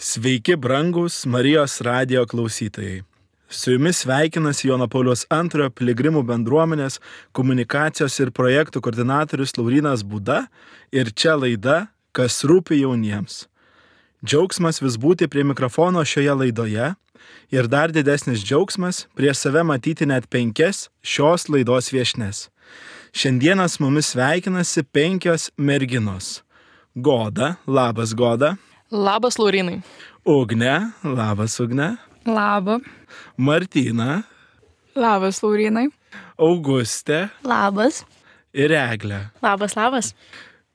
Sveiki, brangūs Marijos radijo klausytojai. Su jumis sveikinasi Jono Pauliaus II piligrimų bendruomenės komunikacijos ir projektų koordinatorius Laurynas Būda ir čia laida Kas rūpi jauniems. Džiaugsmas vis būti prie mikrofono šioje laidoje ir dar didesnis džiaugsmas prie save matyti net 5 šios laidos viešnes. Šiandieną su mumis sveikinasi 5 merginos. Goda, labas Goda. Labas, Laurynai. Ugnė, labas Ugnė. Labą. Martyna. Labas, Laurynai. Augustė. Labas. Ir Eglė. Labas.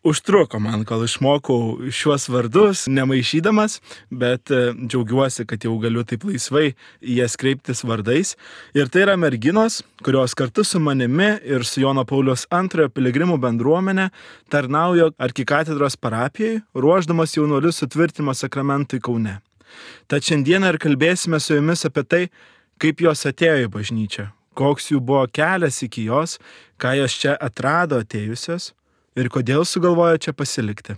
Užtruko man, kol išmokau šiuos vardus, nemaišydamas, bet džiaugiuosi, kad jau galiu taip laisvai į jas kreiptis vardais. Ir tai yra merginos, kurios kartu su manimi ir su Jono Pauliaus II piligrimų bendruomenė tarnauja arkikatedros parapijai, ruošdamas jaunuolius sutvirtinimo sakramentui Kaune. Tad šiandieną ir kalbėsime su jumis apie tai, kaip jos atėjo į bažnyčią, koks jų buvo kelias iki jos, ką jos čia atrado atėjusios ir kodėl sugalvojo čia pasilikti.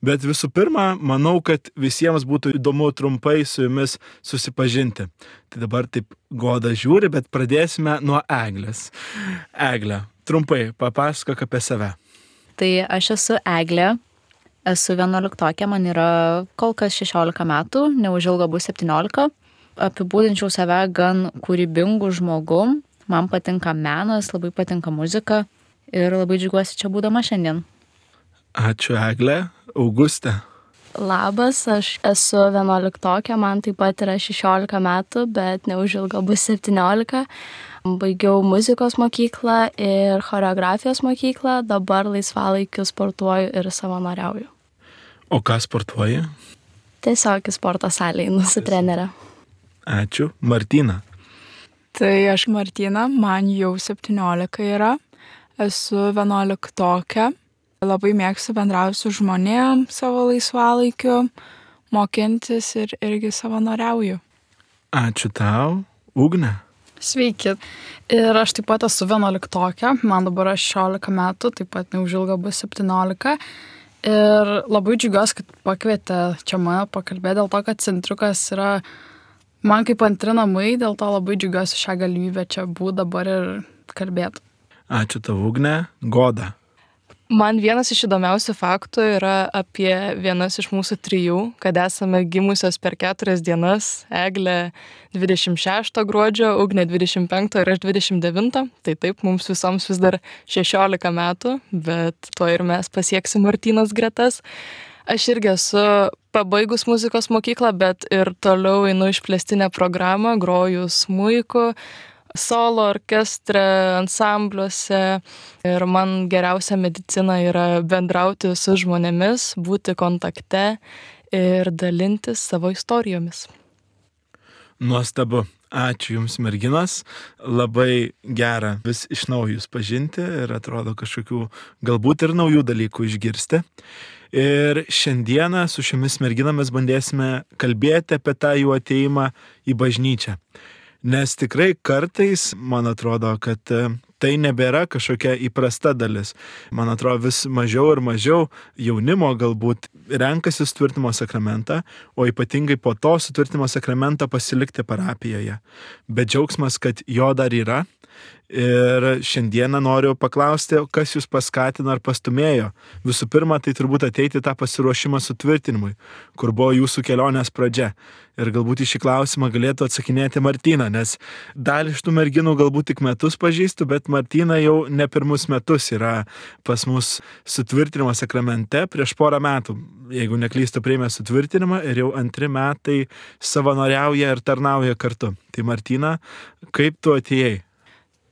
Bet visų pirma, manau, kad visiems būtų įdomu trumpai su jumis susipažinti. Tai dabar taip Goda žiūri, bet pradėsime nuo Eglės. Eglė, trumpai papasakok apie save. Tai aš esu Eglė, esu 11-okė, man yra kol kas 16 metų, neužilgo bus 17. Apibūdinčiau save gan kūrybingų žmogum, man patinka menas, labai patinka muzika. Ir labai džiaugiuosi čia būdama šiandien. Ačiū, Eglė. Augustė. Labas, aš esu 11-okė, man taip pat yra 16 metų, bet neužilgo bus 17. Baigiau muzikos mokyklą ir choreografijos mokyklą, dabar laisvalaikiu sportuoju ir savanoriauju. O ką sportuoji? Tiesiog į sporto salę einu su trenere. Ačiū. Martyna. Tai aš Martyna, man jau 17 yra. Esu 11-okė, labai mėgstu bendrauti su žmonėm savo laisvalaikiu, mokintis ir irgi savanoriauju. Ačiū tau, Ugnė. Sveiki. Ir aš taip pat esu 11-okė, man dabar 16 metų, taip pat neužilgo bus 17. Ir labai džiugiuosi, kad pakvietė čia mane pakalbėti dėl to, kad centriukas yra man kaip antri namai, dėl to labai džiugiuosi šią galimybę čia būti dabar ir kalbėti. Ačiū tau, Ugnė. Goda. Man vienas iš įdomiausių faktų yra apie vienas iš mūsų 3, kad esame gimusios per 4 dienas. Eglė 26 gruodžio, Ugnė 25 ir aš 29. Tai taip, mums visoms vis dar 16 metų, bet to ir mes pasieksim Martynos gretas. Aš irgi esu pabaigus muzikos mokyklą, bet ir toliau einu išplėstinę programą, groju smuiku, solo orkestre, ansambliuose ir man geriausia medicina yra bendrauti su žmonėmis, būti kontakte ir dalintis savo istorijomis. Nuostabu. Ačiū Jums, merginos. Labai gera vis iš naujo Jūs pažinti ir atrodo kažkokių galbūt ir naujų dalykų išgirsti. Ir šiandieną su šiomis merginomis bandėsime kalbėti apie tą jų atėjimą į bažnyčią. Nes tikrai kartais, man atrodo, kad tai nebėra kažkokia įprasta dalis. Man atrodo, vis mažiau ir mažiau jaunimo galbūt renkasi sutvirtinimo sakramentą, o ypatingai po to sutvirtinimo sakramentą pasilikti parapijoje. Bet džiaugsmas, kad jo dar yra. Ir šiandieną noriu paklausti, kas jūs paskatino ar pastumėjo. Visų pirma, tai turbūt ateiti tą pasiruošimą sutvirtinimui, kur buvo jūsų kelionės pradžia. Ir galbūt į šį klausimą galėtų atsakinėti Martyna, nes dalį iš tų merginų galbūt tik metus pažįstu, bet Martyna jau ne pirmus metus yra pas mus sutvirtinimo sakramente prieš porą metų. Jeigu neklystu, priėmė sutvirtinimą ir jau 2 metai savanoriauja ir tarnauja kartu. Tai Martyna, kaip tu atėjai?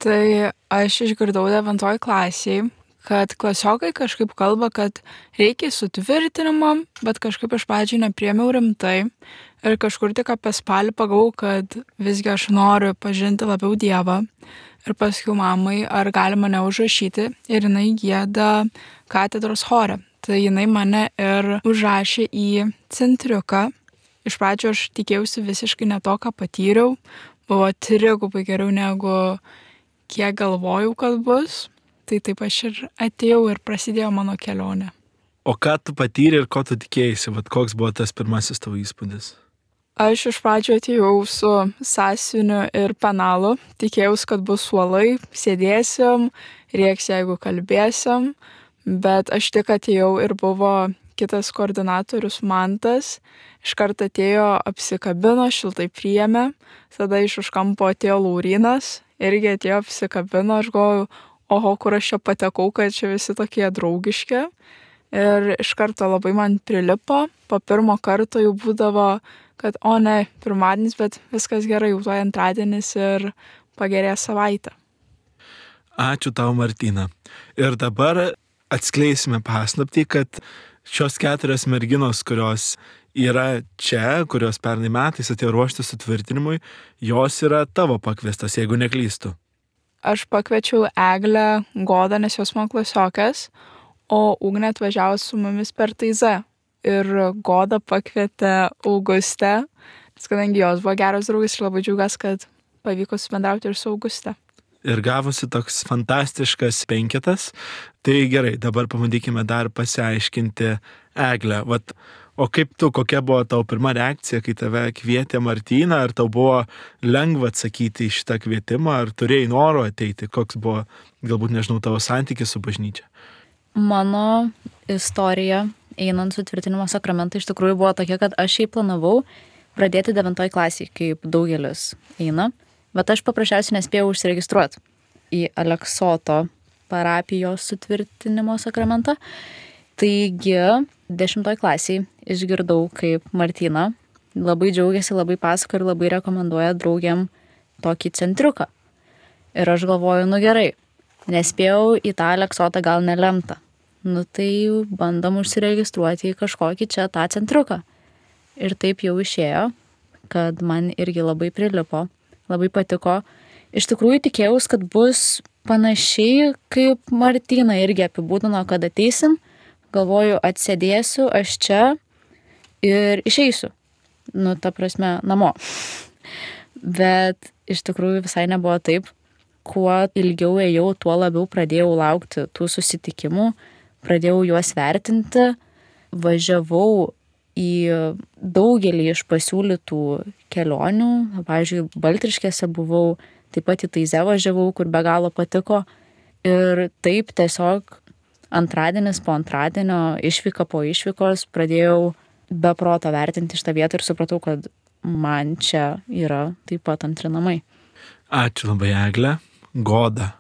Tai aš išgirdau 9 klasėje, kad klasiokai kažkaip kalba, kad reikia sutvirtinimo, bet kažkaip iš pradžių nepriėmiau rimtai. Ir kažkur tik apie spalį pagavau, kad visgi aš noriu pažinti labiau Dievą. Ir pasakiau mamai, ar gali mane užrašyti. Ir jinai gieda katedros chore. Tai jinai mane ir užrašė į centriuką. Iš pradžių aš tikėjausi visiškai ne to, ką patyriau. Buvo 3 geriau negu kiek galvojau, kad bus. Tai taip aš ir atėjau ir prasidėjo mano kelionė. O ką tu patyrė ir ko tu tikėjai? Vat koks buvo tas pirmasis tavo įspūdis? Aš iš pradžio atėjau su sąsiuviniu ir penalu, tikėjausi, kad bus suolai, sėdėsim, rėks, jeigu kalbėsim, bet aš tik atėjau ir buvo kitas koordinatorius Mantas, iškart atėjo, apsikabino, šiltai priėmė, tada iš už kampo atėjo Laurynas, irgi atėjo, apsikabino, aš galvoju, oho, kur aš čia patekau, kad čia visi tokie draugiški. Ir iš karto labai man prilipo, po pirmo karto jau būdavo, kad o ne, pirmadienis, bet viskas gerai, jau tuoj antradienis ir pagerėjo savaitę. Ačiū tau, Martina. Ir dabar atskleisime paslaptį, kad šios 4 merginos, kurios yra čia, kurios pernai metais atėjo ruoštis sutvirtinimui, jos yra tavo pakviestas, jeigu neklystu. Aš pakviečiau Eglę, Godą, nes jos man klasiokas, o Ugnė atvažiavo su mumis per Taizą. Ir Goda pakvietė Augustę, nes kadangi jos buvo geros draugės ir labai džiaugiuosi, kad pavyko subendrauti ir su Auguste. Ir gavosi toks fantastiškas 5. Tai gerai, dabar pabandykime dar pasiaiškinti Eglę. O kaip tu, kokia buvo tavo pirma reakcija, kai tave kvietė Martina? Ar tau buvo lengva atsakyti į šitą kvietimą, ar turėjai noro ateiti? Koks buvo, galbūt nežinau, tavo santykis su bažnyčia? Mano istorija einant sutvirtinimo sakramentą iš tikrųjų buvo tokia, kad aš jį planavau pradėti 9 klasėje, kaip daugelis eina, bet aš paprasčiausiai nespėjau užsiregistruoti į Aleksoto parapijos sutvirtinimo sakramentą. Taigi 10 klasėje išgirdau, kaip Martina labai džiaugiasi, labai pasako ir labai rekomenduoja draugiam tokį centriuką. Ir aš galvoju, gerai, nespėjau į tą Aleksotą, gal nelemta. Tai bandom užsiregistruoti į kažkokį čia tą centriuką. Ir taip jau išėjo, kad man irgi labai prilipo, labai patiko. Iš tikrųjų tikėjausi, kad bus panašiai, kaip Martina irgi apibūdino, kad ateisim, galvoju, atsėdėsiu aš čia ir išeisiu. Ta prasme, namo. Bet iš tikrųjų visai nebuvo taip. Kuo ilgiau ėjau, tuo labiau pradėjau laukti tų susitikimų, pradėjau juos vertinti, važiavau į daugelį iš pasiūlytų kelionių, pavyzdžiui, Baltriškėse buvau, taip pat į Taizę važiavau, kur be galo patiko. Ir taip tiesiog antradienis po antradienio, išvyka po išvykos, pradėjau be proto vertinti šitą vietą ir supratau, kad man čia yra taip pat antri namai. Ačiū labai, Egle. Goda.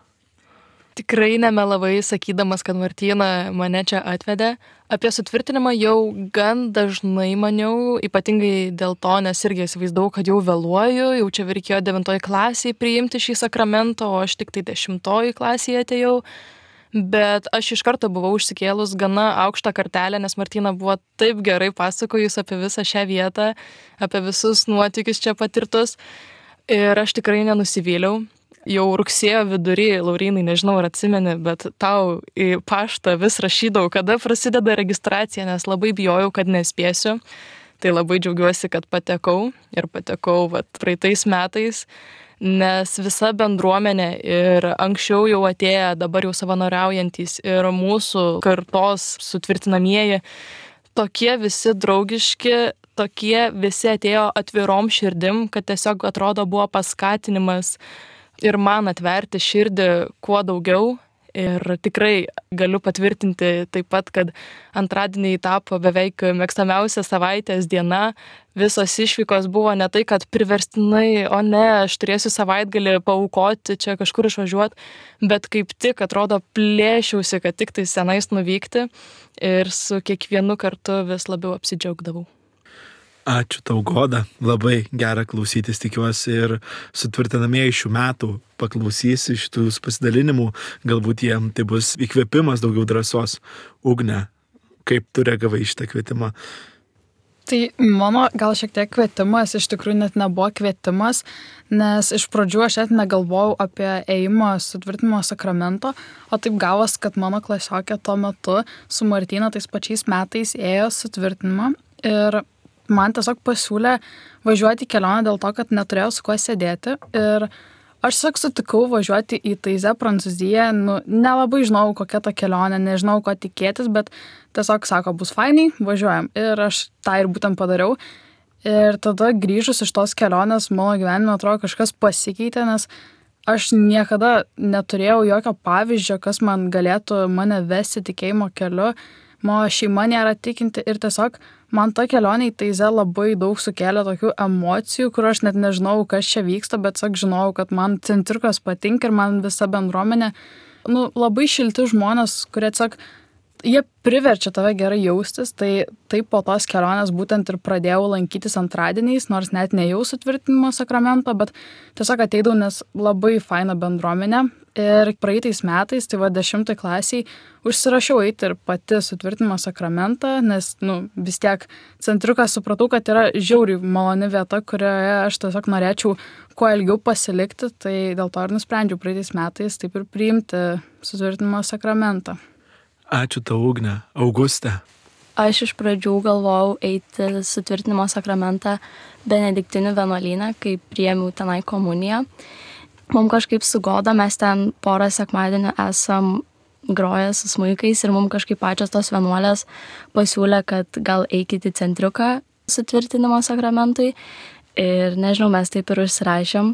Tikrai nemelavai sakydamas, kad Martina mane čia atvedė. Apie sutvirtinimą jau gan dažnai maniau, ypatingai dėl to, nes irgi įsivaizdavau, kad jau vėluoju, jau čia reikėjo 9 klasėje priimti šį sakramentą, o aš tik tai 10 klasėje atėjau. Bet aš iš karto buvau užsikėlus gana aukštą kartelę, nes Martina buvo taip gerai pasakojus apie visą šią vietą, apie visus nuotykius čia patirtus. Ir aš tikrai nenusivyliau. Jau rugsėjo vidury, Laurynai, nežinau, ar atsimeni, bet tau į paštą vis rašydavau, kada prasideda registracija, nes labai bijojau, kad nespėsiu. Tai labai džiaugiuosi, kad patekau ir patekau praeitais metais, nes visa bendruomenė ir anksčiau jau atėję, dabar jau savanoriaujantys ir mūsų kartos sutvirtinamieji, tokie visi draugiški, tokie visi atėjo atvirom širdim, kad tiesiog atrodo buvo paskatinimas ir man atverti širdį kuo daugiau. Ir tikrai galiu patvirtinti taip pat, kad antradieniai tapo beveik mėgstamiausia savaitės diena. Visos išvykos buvo ne tai, kad priverstinai, o ne, aš turėsiu savaitgalį paaukoti, čia kažkur išvažiuoti, bet kaip tik atrodo plėšiausi, kad tik tai senais nuvykti ir su kiekvienu kartu vis labiau apsidžiaugdavau. Ačiū tau, Goda. Labai gera klausytis, tikiuosi, ir sutvirtinamieji šių metų paklausys iš tų pasidalinimų. Galbūt jiem tai bus įkvėpimas, daugiau drąsos. Ugne, kaip tu reagavai į šitą kvietimą? Tai mano gal šiek tiek kvietimas, iš tikrųjų net nebuvo kvietimas, nes iš pradžių aš net negalvojau apie ėjimą sutvirtinimo sakramento, o taip gavos, kad mano klasiokė tuo metu su Martina tais pačiais metais ėjo sutvirtinimą ir man tiesiog pasiūlė važiuoti į kelionę dėl to, kad neturėjau su kuo sėdėti ir Aš tiesiog sutikau važiuoti į Taizę, Prancūziją, nelabai žinau, kokia ta kelionė, nežinau, ko tikėtis, bet tiesiog sako, bus fainai, važiuojam. Ir aš tą ir būtent padariau. Ir tada grįžus iš tos kelionės, mano gyvenime atrodo kažkas pasikeitė, nes aš niekada neturėjau jokio pavyzdžio, kas man galėtų mane vesti tikėjimo keliu. Mano šeima nėra tikinti ir tiesiog man ta kelionė į Taizę labai daug sukėlė tokių emocijų, kur aš net nežinau, kas čia vyksta, bet tiesiog žinau, kad man centriukas patinka ir man visa bendruomenė, labai šilti žmonės, kurie tiesiog, jie priverčia tave gerai jaustis, tai po tos kelionės būtent ir pradėjau lankytis antradieniais, nors net nejau sutvirtinimo sakramento, bet tiesiog ateidavau, nes labai faina bendruomenė. Ir praeitais metais, tai 10 klasiai, užsirašiau eiti ir pati sutvirtinimo sakramentą, nes vis tiek centriukas supratau, kad yra žiauriai maloni vieta, kurioje aš tiesiog norėčiau kuo ilgiau pasilikti, tai dėl to ir nusprendžiau praeitais metais taip ir priimti sutvirtinimo sakramentą. Ačiū tau, Ugne. Auguste. Aš iš pradžių galvojau eiti sutvirtinimo sakramentą Benediktinių vienuolyne, kai priėmiau tenai komuniją. Mums kažkaip su Goda, mes ten porą sekmadienių esam groję su smuikais ir mums kažkaip pačios tos vienuolės pasiūlė, kad gal eikit į centriuką sutvirtinimo sakramentui. Ir nežinau, mes taip ir užsirašėm.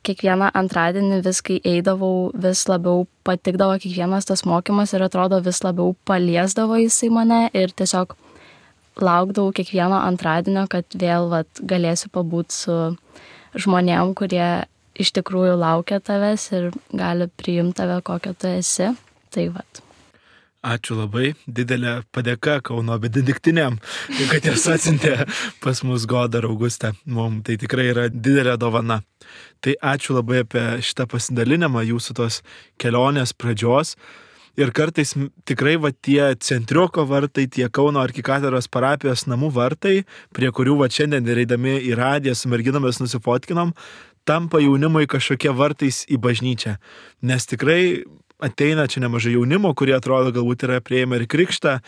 Kiekvieną antradienį vis, kai eidavau, vis labiau patikdavo kiekvienas tas mokymas ir atrodo vis labiau paliesdavo jisai mane ir tiesiog laukdavau kiekvieno antradienio, kad vėl galėsiu pabūti su žmonėm, kurie iš tikrųjų laukia tavęs ir gali priimti tave, kokia tu esi. Tai . Ačiū labai, didelė padėka Kauno benediktiniam, kad jas atsiuntė pas mus Goda ir Augustė. Mums tai tikrai yra didelė dovana. Tai ačiū labai apie šitą pasidalinimą jūsų tos kelionės pradžios. Ir kartais tikrai tie centriuko vartai, tie Kauno arkikatedros parapijos namų vartai, prie kurių šiandien ir eidami į radiją su merginomis nusifotkinom, tampa jaunimui kažkokie vartais į bažnyčią. Nes tikrai ateina čia nemažai jaunimo, kurie atrodo galbūt yra prieėmę ir krikštą,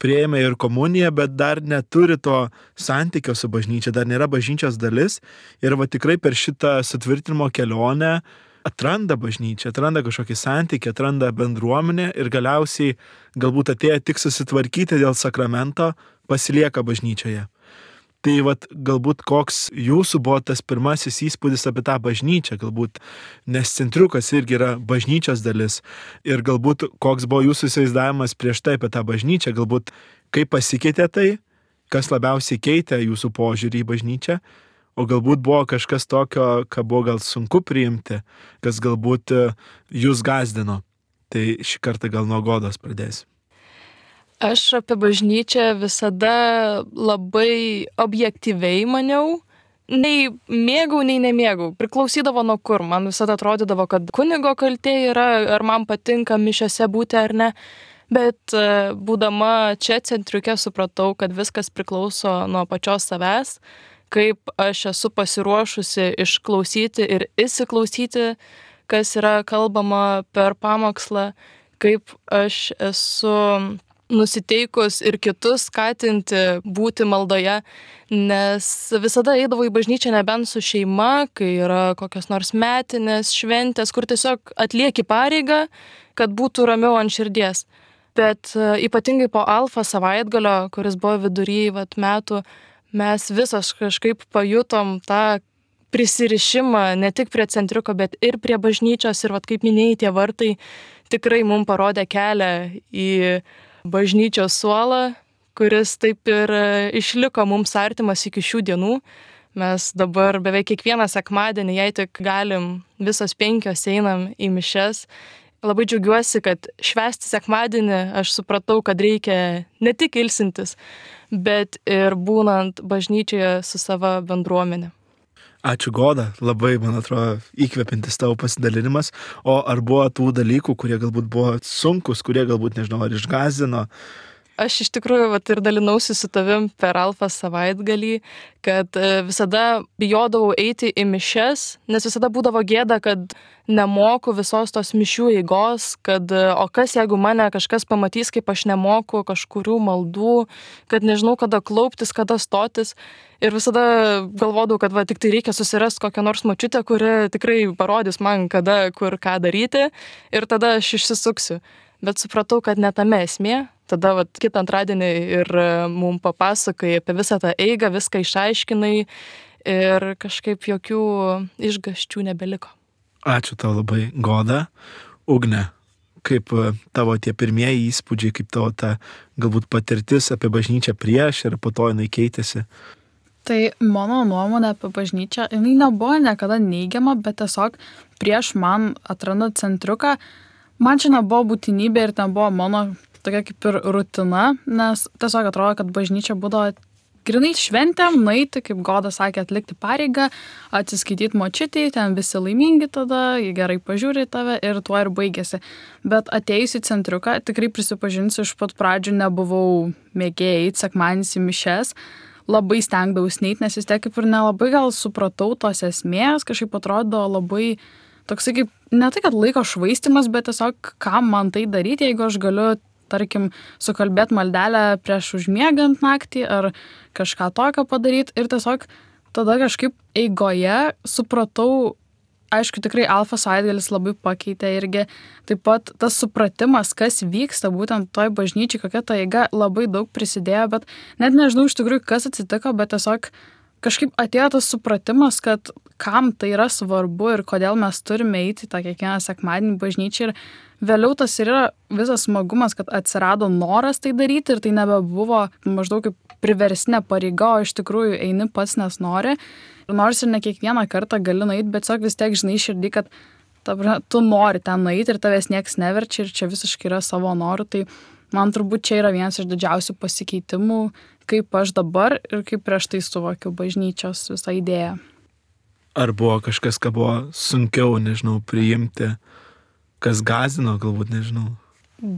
prieėmę ir komuniją, bet dar neturi to santykio su bažnyčia, dar nėra bažnyčios dalis. Ir tikrai per šitą sutvirtinimo kelionę atranda bažnyčią, atranda kažkokį santykį, atranda bendruomenę ir galiausiai galbūt atėję tik susitvarkyti dėl sakramento, pasilieka bažnyčioje. Tai galbūt koks jūsų buvo tas pirmasis įspūdis apie tą bažnyčią, galbūt, nes centriukas irgi yra bažnyčios dalis. Ir galbūt koks buvo jūsų įsivaizdavimas prieš tai apie tą bažnyčią, galbūt kaip pasikeitė tai, kas labiausiai keitė jūsų požiūrį į bažnyčią, o galbūt buvo kažkas tokio, ką buvo gal sunku priimti, kas galbūt jūs gazdino. Tai šį kartą gal nuo Godos pradėsiu. Aš apie bažnyčią visada labai objektyviai maniau. Nei mėgau, nei nemėgau. Priklausydavo nuo kur. Man visada atrodydavo, kad kunigo kaltė yra, ar man patinka mišiose būti ar ne. Bet būdama čia centriuke supratau, kad viskas priklauso nuo pačios savęs, kaip aš esu pasiruošusi išklausyti ir įsiklausyti, kas yra kalbama per pamokslą, kaip aš esu nusiteikus ir kitus skatinti būti maldoje, nes visada eidavau į bažnyčią nebent su šeima, kai yra kokios nors metinės, šventės, kur tiesiog atlieki pareigą, kad būtų ramiau ant širdies. Bet ypatingai po Alfa savaitgalio, kuris buvo vidury metų, mes visos kažkaip pajutom tą prisirišimą ne tik prie centriuko, bet ir prie bažnyčios. Ir kaip minėjai, tie vartai tikrai mums parodė kelią į bažnyčios suolą, kuris taip ir išliko mums artimas iki šių dienų. Mes dabar beveik kiekvieną sekmadienį, jei tik galim, visos 5 einam į mišias. Labai džiaugiuosi, kad švęsti sekmadienį aš supratau, kad reikia ne tik ilsintis, bet ir būnant bažnyčioje su savo bendruomenė. Ačiū Goda, labai, man atrodo, įkvepiantis tavo pasidalinimas. O ar buvo tų dalykų, kurie galbūt buvo sunkus, kurie galbūt, nežinau, ar išgąsdino? aš iš tikrųjų ir dalinausi su tavim per Alfa savaitgalį, kad visada bijodavau eiti į mišias, nes visada būdavo gėda, kad nemoku visos tos mišių eigos, kad o kas jeigu mane kažkas pamatys, kaip aš nemoku kažkurių maldų, kad nežinau, kada klauptis, kada stotis. Ir visada galvodavau, kad tik tai reikia susirasti kokią nors močiutę, kuri tikrai parodys man, kada, kur, ką daryti, ir tada aš išsisuksiu. Bet supratau, kad ne tame esmė. Tada kitą antradienį ir mum papasakai apie visą tą eigą, viską išaiškinai ir kažkaip jokių išgąsčių nebeliko. Ačiū tau labai, Goda. Ugne, kaip tavo tie pirmieji įspūdžiai, kaip tavo ta galbūt patirtis apie bažnyčią prieš ir po to jinai keitėsi? Tai mano nuomonė apie bažnyčią, jinai nebuvo niekada neigiama, bet tiesiog prieš man atrandant centriuką, man čia nebuvo būtinybė ir ten buvo mano tokia kaip ir rutina, nes tiesiog atrodo, kad bažnyčia būdavo grinai šventėm, nueiti, kaip Goda sakė, atlikti pareigą, atsiskaityti močiutei, ten visi laimingi tada, jie gerai pažiūri tave ir tuo ir baigėsi. Bet atėjus į centriuką, tikrai prisipažinsiu, iš pat pradžių nebuvau mėgėjai sekmadienis į mišias, labai stengdavausi neit, nes vis tiek kaip ir nelabai gal supratau tos esmės, kažkaip atrodo labai toksai kaip, ne tai kad laiko švaistimas, bet tiesiog kam man tai daryti, jeigu aš galiu, tarkim, sukalbėti maldelę prieš užmiegant naktį ar kažką tokio padaryti. Ir tiesiog tada kažkaip eigoje supratau, aišku, tikrai Alfa savaitgalis labai pakeitė irgi. Taip pat tas supratimas, kas vyksta būtent toj bažnyčiai, kokia ta eiga, labai daug prisidėjo, bet net nežinau iš tikrųjų, kas atsitiko, bet tiesiog kažkaip atėjo tas supratimas, kad kam tai yra svarbu ir kodėl mes turime eiti tą kiekvieną sekmadienį bažnyčią. Ir vėliau tas ir yra visas smagumas, kad atsirado noras tai daryti ir tai nebebuvo maždaug kaip priverstinė pareiga, o iš tikrųjų eini pats, nes nori. Ir nors ir ne kiekvieną kartą gali nueiti, bet tiesiog vis tiek žinai širdį, kad tu nori ten nueiti ir tavęs nieks neverčia ir čia visiškai yra savo norų. Tai man turbūt čia yra vienas iš didžiausių pasikeitimų, kaip aš dabar ir kaip prieš tai suvokiu bažnyčios visą idėją. Ar buvo kažkas, ką buvo sunkiau, nežinau, priimti, kas gąsdino, galbūt, nežinau?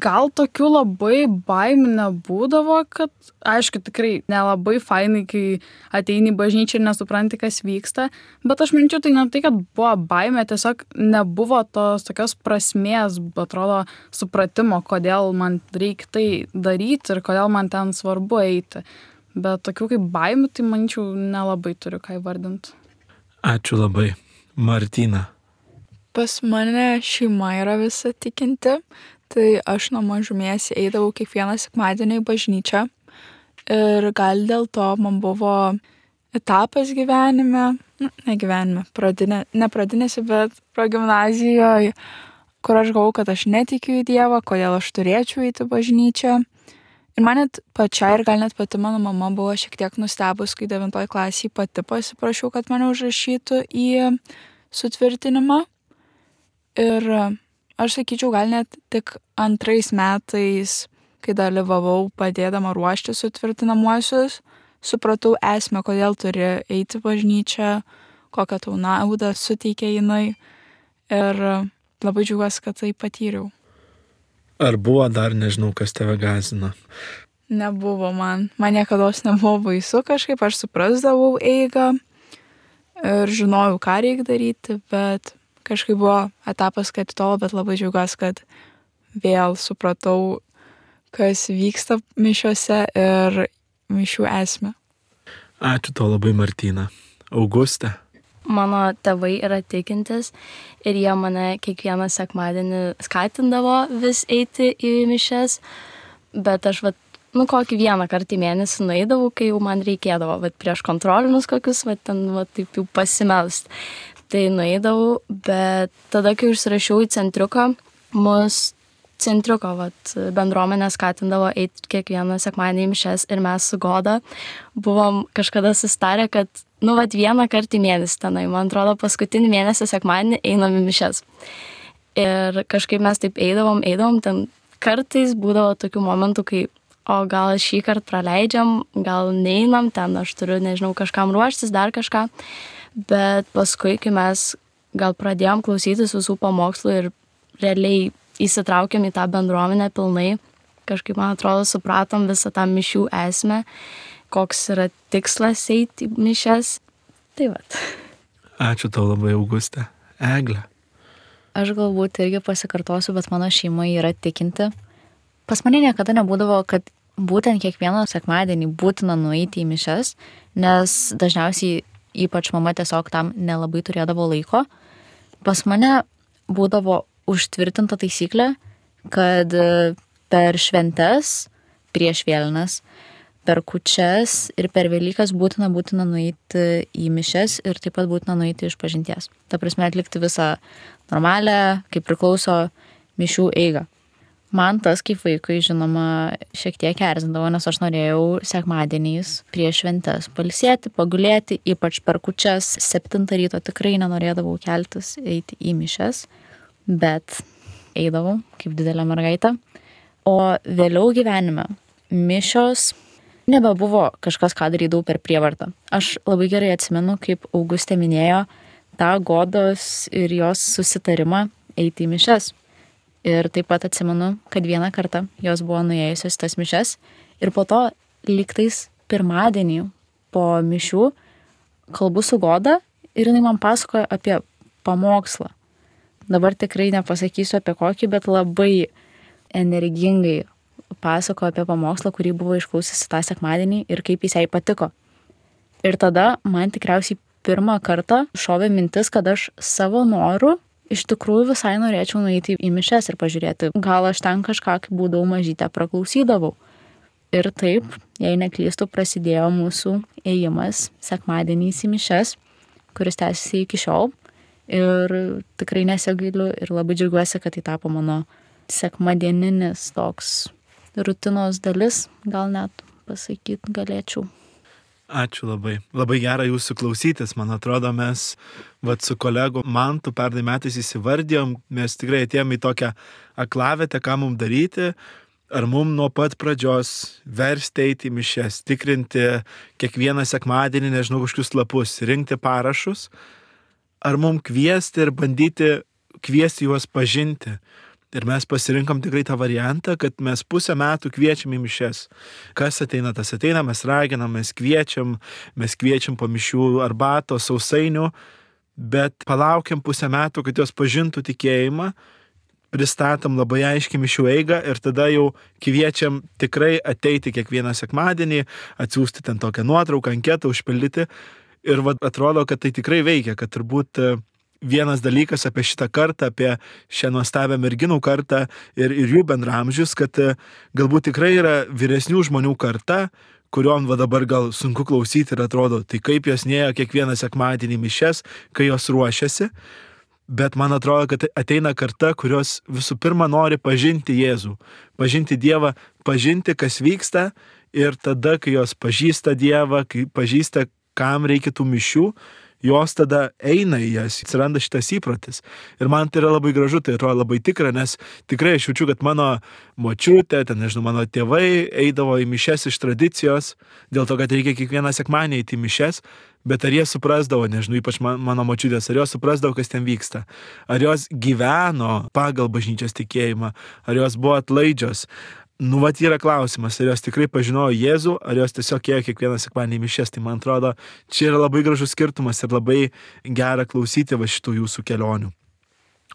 Gal tokių labai baimių nebūdavo, kad, aišku, tikrai nelabai fainai, kai ateini į bažnyčią ir nesupranti, kas vyksta, bet aš minčiau, tai ne tai, kad buvo baimė, tiesiog nebuvo tos tokios prasmės, atrodo, supratimo, kodėl man reikia tai daryti ir kodėl man ten svarbu eiti. Bet tokių kaip baimių, tai manyčiau, nelabai turiu ką įvardinti. Ačiū labai. Martina. Pas mane šeima yra visa tikinti. Tai aš nuo mažumės eidavau kiekvieną sekmadienį į bažnyčią ir gal dėl to man buvo etapas gyvenime, ne pradinėse, bet progimnazijoje, kur aš galvojau, kad aš netikiu į Dievą, kodėl aš turėčiau eiti į bažnyčią. Ir man net pačiai ir gal net pati mano mama buvo šiek tiek nustebus, kai 9 klasėje pati pasiprašiau, kad mane užrašytų į sutvirtinimą. Ir aš sakyčiau, gal net tik 2 metais, kai dalyvavau padėdama ruošti sutvirtinamuosius, supratau esmę, kodėl turi eiti bažnyčią, kokią tau naudą suteikia jinai. Ir labai džiaugiuosi, kad tai patyriau. Ar buvo dar, nežinau, kas tave gąsdino? Nebuvo man. Man niekados nebuvo baisu kažkaip, aš suprasdavau eigą ir žinojau, ką reikia daryti, bet kažkaip buvo etapas, kad tolo, bet labai džiaugiuosi, kad vėl supratau, kas vyksta mišiuose ir mišių esmę. Ačiū tau labai, Martina. Auguste. Mano tėvai yra tikintis ir jie mane kiekvieną sekmadienį skatindavo vis eiti į mišias, bet aš kokį vieną kartą į mėnesį nueidavau, kai jau man reikėdavo, prieš kontrolinius kokius, ten taip jau pasimelst. Tai nueidavau, bet tada, kai užsirašiau į centriuką, mus centriuko bendruomenė skatindavo eiti kiekvieną sekmadienį į mišias ir mes su Goda buvom kažkada sustarę, kad vieną kartą į mėnesį tenai, man atrodo, paskutinį mėnesį sekmadienį einam į mišias. Ir kažkaip mes taip eidavom, ten kartais būdavo tokių momentų, kai o gal šį kartą praleidžiam, gal neinam, ten aš turiu, nežinau, kažkam ruoštis, dar kažką. Bet paskui, kai mes gal pradėjom klausytis visų pamokslų ir realiai įsitraukėm į tą bendruomenę pilnai, kažkaip, man atrodo, supratom visą tą mišių esmę, koks yra tikslas eiti į mišias. Tai vat. Ačiū tau labai, Augustė. Eglė. Aš galbūt irgi pasikartosiu, bet mano šeima yra tikinti. Pas mane niekada nebūdavo, kad būtent kiekvieną sekmadienį būtina nueiti į mišias, nes dažniausiai ypač mama tiesiog tam nelabai turėdavo laiko. Pas mane būdavo užtvirtinta taisyklė, kad per šventes, prieš vėlines, per kūčias ir per Velykas būtina nueiti į mišias ir taip pat būtina nueiti išpažinties. Ta prasme atlikti visą normalią, kaip priklauso mišių eigą. Man tas kaip vaikui, žinoma, šiek tiek erzindavo, nes aš norėjau sekmadieniais prieš šventes pailsėti, pagulėti, ypač per kūčias 7 ryto tikrai nenorėdavau keltis eiti į mišias, bet eidavau kaip didelė mergaitė. O vėliau gyvenime mišios nebebuvo kažkas, ką darydavau per prievartą. Aš labai gerai atsimenu, kaip Augustė minėjo, tą Godos ir jos susitarimą eiti į mišias. Ir taip pat atsimenu, kad vieną kartą jos buvo nuėjusios tas mišias ir po to lygtais pirmadienį po mišių kalbu su Goda ir jinai man pasakoja apie pamokslą. Dabar tikrai nepasakysiu apie kokį, bet labai energingai pasakojo apie pamokslą, kurį buvo išklausysi tą sekmadienį ir kaip jis jai patiko. Ir tada man tikriausiai pirmą kartą šovė mintis, kad aš savo noru iš tikrųjų visai norėčiau nueiti į mišias ir pažiūrėti, gal aš ten kažką, kai būdavau mažytė, praklausydavau. Ir taip, jei neklystu, prasidėjo mūsų ėjimas sekmadieniais į mišias, kuris tęsiasi iki šiol. Ir tikrai nesigailiu ir labai džiaugiuosi, kad tai tapo mano sekmadieninis toks rutinos dalis, gal net pasakyti galėčiau. Ačiū labai. Labai gera jūsų klausytis. Man atrodo, mes su kolegu Mantu pernai metais įsivardėjom, mes tikrai atėjom į tokią aklavietę, ką mums daryti. Ar mums nuo pat pradžios versti eiti į mišias, tikrinti kiekvieną sekmadienį, nežinau, kažkokius lapus, rinkti parašus. Ar mums kviesti ir bandyti kviesti juos pažinti. Ir mes pasirinkom tikrai tą variantą, kad mes pusę metų kviečiam į mišias. Kas ateina, tas ateina, mes raginam, mes kviečiam po mišių arbatos, sausainių, bet palaukiam pusę metų, kad jos pažintų tikėjimą, pristatom labai aiškiai mišių eigą ir tada jau kviečiam tikrai ateiti kiekvieną sekmadienį, atsiųsti ten tokią nuotrauką, anketą, užpildyti. Ir atrodo, kad tai tikrai veikia, kad turbūt vienas dalykas apie šitą kartą, apie šią nuostabią merginų kartą ir jų bendramžius, kad galbūt tikrai yra vyresnių žmonių karta, kuriuom dabar gal sunku klausyti ir atrodo, tai kaip jos nėjo kiekvieną sekmadienį mišias, kai jos ruošiasi. Bet man atrodo, kad ateina karta, kurios visų pirma nori pažinti Jėzų, pažinti Dievą, pažinti, kas vyksta ir tada, kai jos pažįsta Dievą, kai pažįsta, kam reikia tų mišių, jos tada eina į jas, atsiranda šitas įprotis. Ir man tai yra labai gražu, tai atrodo labai tikra, nes tikrai aš jaučiu, kad mano močiutė, mano tėvai eidavo į mišias iš tradicijos, dėl to, kad reikia kiekvieną sekmadienį eiti į mišias, bet ar jie suprasdavo, nežinau, ypač mano močiutės, ar jos suprasdavo, kas ten vyksta, ar jos gyveno pagal bažnyčios tikėjimą, ar jos buvo atlaidžios. Yra klausimas, ar jos tikrai pažinojo Jėzų, ar jos tiesiog ėjo kiekvieną sekmadienį į mišias. Tai man atrodo, čia yra labai gražus skirtumas ir labai gera klausyti šitų jūsų kelionių.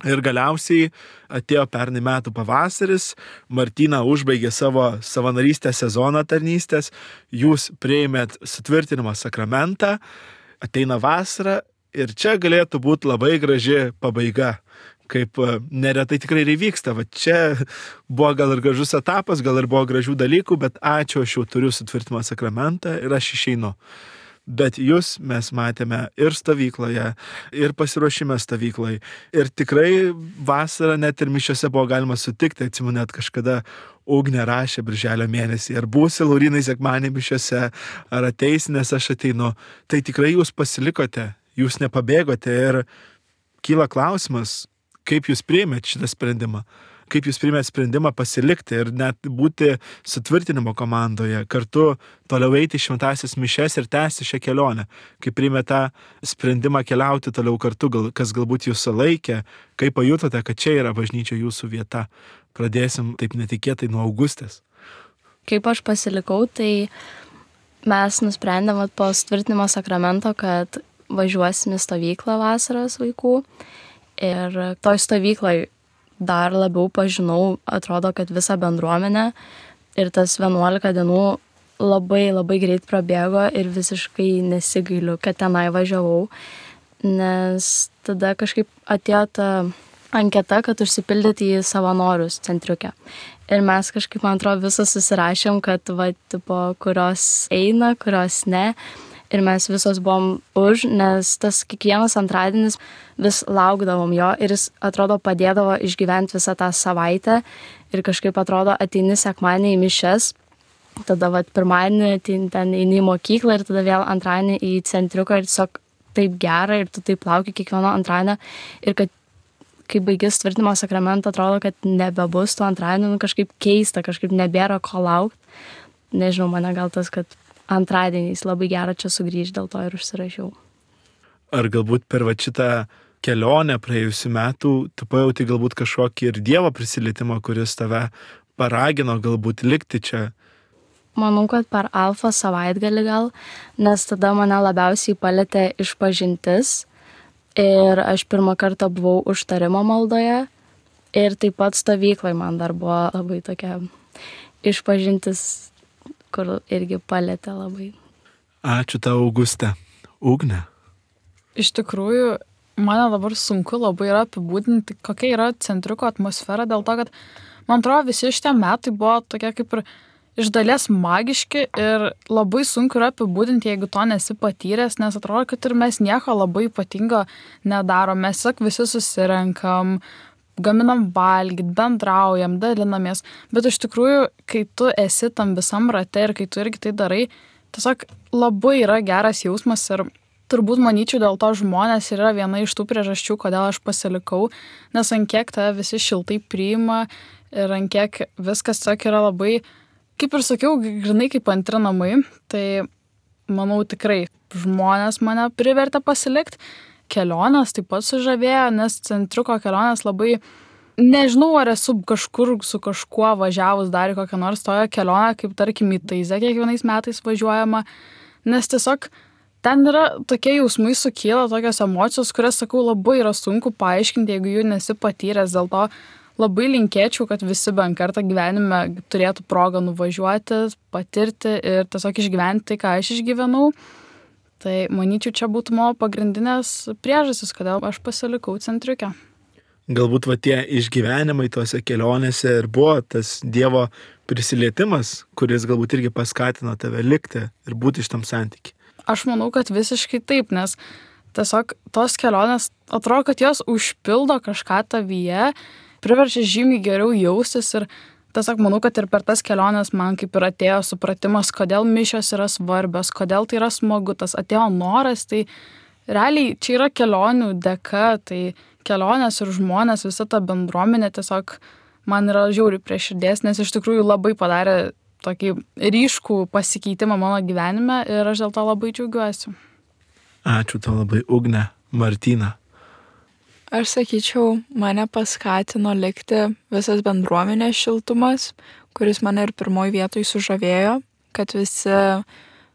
Ir galiausiai atėjo pernai metų pavasaris, Martyna užbaigė savo savanorystės sezoną tarnystės, jūs priėmėt sutvirtinimo sakramentą, ateina vasara ir čia galėtų būti labai graži pabaiga. Kaip neretai tikrai ir įvyksta. Čia buvo gal ir gražus etapas, gal ir buvo gražių dalykų, bet ačiū, aš jau turiu sutvirtinimo sakramentą ir aš išeinu. Bet jūs mes matėme ir stovykloje, ir pasiruošime stovyklai. Ir tikrai vasarą net ir mišiose buvo galima sutikti, atsimenu, net kažkada Ugnė rašė birželio mėnesį, ar būsi Laurinai sekmadienį mišiose, ar ateisi, nes aš ateinu. Tai tikrai jūs pasilikote, jūs nepabėgote ir kyla klausimas, kaip jūs priėmėt šitą sprendimą, kaip jūs priėmėt sprendimą pasilikti ir net būti sutvirtinimo komandoje, kartu toliau eiti į šventąsias mišias ir tęsti šią kelionę, kaip priėmėt tą sprendimą keliauti toliau kartu, kas galbūt jūs sulaikė, kaip pajutote, kad čia yra bažnyčia jūsų vieta. pradėsim taip netikėtai nuo Augustės. Kaip aš pasilikau, tai mes nusprendėm po sutvirtinimo sakramento, kad važiuosim į stovyklą vasaros vaikų. Ir toj stovykloj dar labiau pažinau, atrodo, kad visą bendruomenę. Ir tas 11 dienų labai greit prabėgo ir visiškai nesigailiu, kad tenai važiavau. Nes tada kažkaip atėjo ta anketa, kad užsipildyti į savanorius centriuke. Ir mes kažkaip, man atrodo, visos susirašėm, kad kurios eina, kurios ne. Ir mes visos buvom už, nes tas kiekvienas antradienis vis laukdavom jo ir jis, atrodo, padėdavo išgyventi visą tą savaitę. Ir kažkaip, atrodo, ateini sekmadienį į mišias, tada pirmadienį ten eini į mokyklą ir tada vėl antradienį į centriuką ir tiesiog taip gera ir tu taip lauki kiekvieno antradienio. Ir kad kai baigis sutvirtinimo sakramentą, atrodo, kad nebebus tų antradienį, kažkaip keista, kažkaip nebėra ko laukti. Nežinau, mane gal tas, kad antradieniais labai gera čia sugrįžti, dėl to ir užsirašiau. Ar galbūt per šitą kelionę praėjusių metų tu pajauti galbūt kažkokį ir Dievo prisilietimą, kuris tave paragino galbūt likti čia? Manau, kad per Alfa savaitgalį gal, nes tada mane labiausiai palietė išpažintis ir aš pirmą kartą buvau užtarimo maldoje ir taip pat stovyklai man dar buvo labai tokia išpažintis, kur irgi palietė labai. Ačiū tau, Auguste. Ugne. Iš tikrųjų, man dabar sunku labai yra apibūdinti, kokia yra centriuko atmosfera, dėl to, kad man atrodo visi šitie metai buvo tokie kaip ir iš dalies magiški ir labai sunku yra apibūdinti, jeigu to nesi patyręs, nes atrodo, kad ir mes nieko labai ypatingo nedarom, mes sak visi susirenkam, gaminam valgyti, bendraujam, dalinamės, bet iš tikrųjų, kai tu esi tam visam rate ir kai tu irgi tai darai, tiesiog labai yra geras jausmas ir turbūt manyčiau dėl to žmonės yra viena iš tų priežasčių, kodėl aš pasilikau, nes ant kiek tave visi šiltai priima ir ant kiek viskas tiesiog yra labai, kaip ir sakiau, grinai kaip antri namai, tai manau tikrai žmonės mane privertė pasilikti. Kelionės taip pat sužavėjo, nes centriuko kelionės labai, nežinau, ar esu kažkur su kažkuo važiavus dar į kokią nors toją kelionę, kaip tarkim į Taizę kiekvienais metais važiuojama, nes tiesiog ten yra tokie jausmai sukyla, tokios emocijos, kurias, sakau, labai yra sunku paaiškinti, jeigu jų nesi patyręs, dėl to labai linkėčiau, kad visi bent kartą gyvenime turėtų progą nuvažiuoti, patirti ir tiesiog išgyventi tai, ką aš išgyvenau. Tai manyčiau, čia būtų mano pagrindinės priežastys, kodėl aš pasilikau centriuke. Galbūt tie išgyvenimai tose kelionėse ir buvo tas Dievo prisilietimas, kuris galbūt irgi paskatino tave likti ir būti iš tam santykiai. Aš manau, kad visiškai taip, nes tiesiog tos kelionės atrodo, kad jos užpildo kažką tavyje, priverčia žymiai geriau jaustis ir tiesiog manau, kad ir per tas keliones man kaip ir atėjo supratimas, kodėl mišios yra svarbios, kodėl tai yra smagu, tas atėjo noras, tai realiai čia yra kelionių dėka, tai kelionės ir žmonės, visa ta bendruomenė tiesiog man yra žiauriai prie širdies, nes iš tikrųjų labai padarė tokį ryškų pasikeitimą mano gyvenime ir aš dėl to labai džiaugiuosi. Ačiū tau labai, Ugne. Martina. Aš sakyčiau, mane paskatino likti visas bendruomenės šiltumas, kuris mane ir pirmoji vietoj sužavėjo, kad visi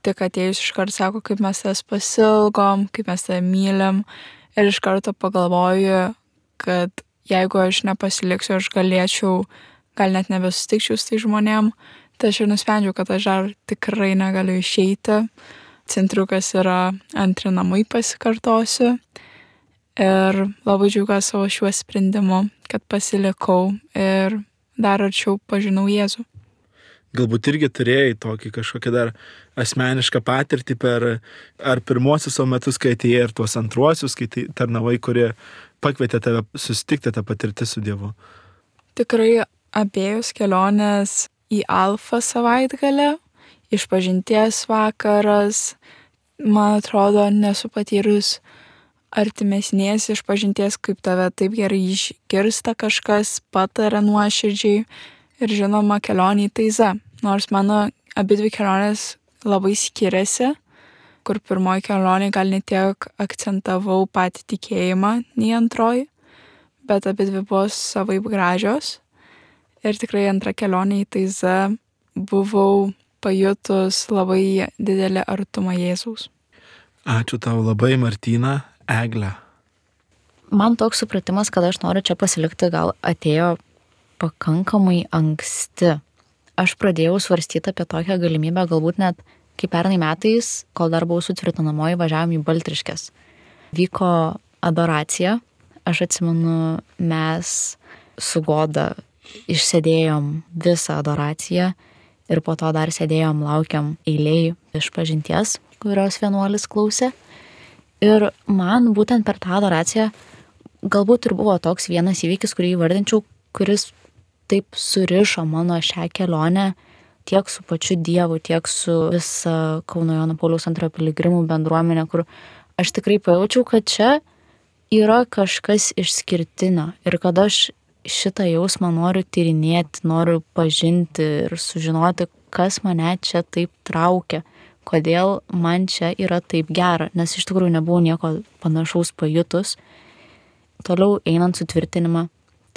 tik atėjus iškart sako, kaip mes tas pasilgom, kaip mes tai mylim. Ir iš karto pagalvoju, kad jeigu aš nepasiliksiu, aš galėčiau, gal net nebesutikčiau su tai žmonėm. Tai aš ir nusprendžiau, kad aš dar tikrai negaliu išeiti. Centriukas yra antri namai, pasikartosiu. Ir labai džiaugiuosi savo šiuo sprendimu, kad pasilikau ir dar arčiau pažinau Jėzų. Galbūt irgi turėjai tokį kažkokią dar asmenišką patirtį per ar pirmosius savo metus, kai atėjai, ir tuos antruosius, kai tarnavai, kurie pakvietė tave susitikti tą patirtį su Dievu. Tikrai abejos kelionės į Alfa savaitgalį, išpažinties vakaras, man atrodo, nesu patyrus artimesnės išpažinties, kaip tave taip gerai išgirsta kažkas, pataria nuoširdžiai ir žinoma kelionė į Taizą. Nors mano abidvi kelionės labai skiriasi, kur pirmoji kelionė gal ne tiek akcentavau patį tikėjimą, nei antroji, bet abidvi buvo savaip gražios. Ir tikrai antra kelionė į Taizą buvau pajutus labai didelį artumą Jėzaus. Ačiū tau labai, Martyna. Egle. Man toks supratimas, kad aš noriu čia pasilikti, gal atėjo pakankamai anksti. Aš pradėjau svarstyti apie tokią galimybę, galbūt net kaip pernai metais, kol dar buvau sutvirtinamoji, važiavom į Baltriškes. Vyko adoracija. Aš atsimenu, mes su Goda išsėdėjom visą adoraciją ir po to dar sėdėjom, laukiam eiliai išpažinties, kurios vienuolis klausė. Ir man būtent per tą adoraciją galbūt ir buvo toks vienas įvykis, kurį įvardinčiau, kuris taip surišo mano šią kelionę tiek su pačiu Dievu, tiek su visa Kauno Jono Pauliaus II piligrimų bendruomenė, kur aš tikrai pajaučiau, kad čia yra kažkas išskirtinio ir kad aš šitą jausmą noriu tyrinėti, noriu pažinti ir sužinoti, kas mane čia taip traukia, kodėl man čia yra taip gera, nes iš tikrųjų nebuvau nieko panašaus pajutus. Toliau einant sutvirtinimą,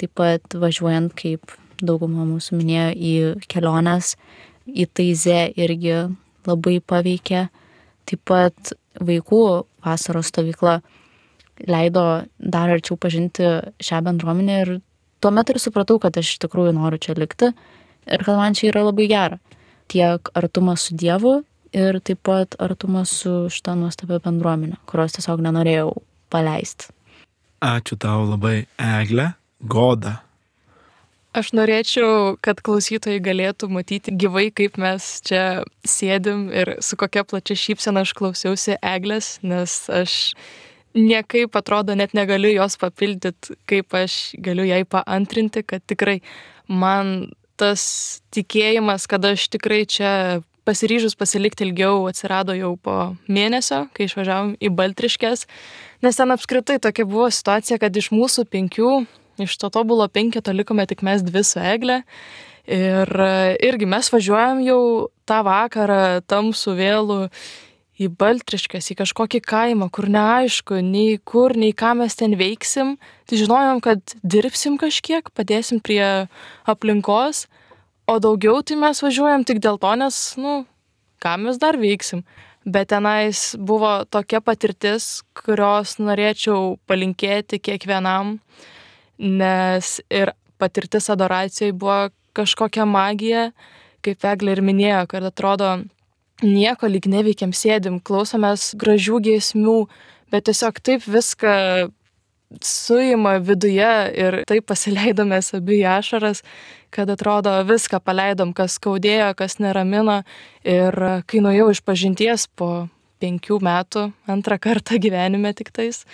taip pat važiuojant, kaip dauguma mūsų minėjo, į keliones, į Taizę irgi labai paveikė. Taip pat vaikų vasaros stovykla leido dar arčiau pažinti šią bendruomenę ir tuomet ir supratau, kad aš iš tikrųjų noriu čia likti ir kad man čia yra labai gera. Tiek artumas su Dievu ir taip pat artumas su šita nuostabia bendruomenė, kurios tiesiog nenorėjau paleisti. Ačiū tau labai, Egle. Goda. Aš norėčiau, kad klausytojai galėtų matyti gyvai, kaip mes čia sėdim ir su kokia plačia šypsena aš klausiausi Eglės, nes aš niekaip atrodo net negaliu jos papildyti, kaip aš galiu jai paantrinti, kad tikrai man tas tikėjimas, kad aš tikrai čia pasiryžus pasilikti ilgiau, atsirado jau po mėnesio, kai išvažiavom į Baltriškes, nes ten apskritai tokia buvo situacija, kad iš mūsų 5, iš to tobulo 5 likome tik mes 2 su Egle ir irgi mes važiuojam jau tą vakarą tamsų vėlų į Baltriškes, į kažkokį kaimą, kur neaišku, nei kur, nei ką mes ten veiksim. Tai žinojom, kad dirbsim kažkiek, padėsim prie aplinkos, o daugiau tai mes važiuojam tik dėl to, nes, ką mes dar veiksim. Bet tenais buvo tokia patirtis, kurios norėčiau palinkėti kiekvienam, nes ir patirtis adoracijoje buvo kažkokia magija, kaip Eglė ir minėjo, kad atrodo, nieko lyg neveikiam, sėdim, klausomės gražių giesmių, bet tiesiog taip viską suima viduje ir taip pasileidomės abi į ašaras, kad atrodo viską paleidom, kas skaudėjo, kas neramino. Ir kai nuėjau iš pažinties po 5 metų, antrą kartą gyvenime tik tais,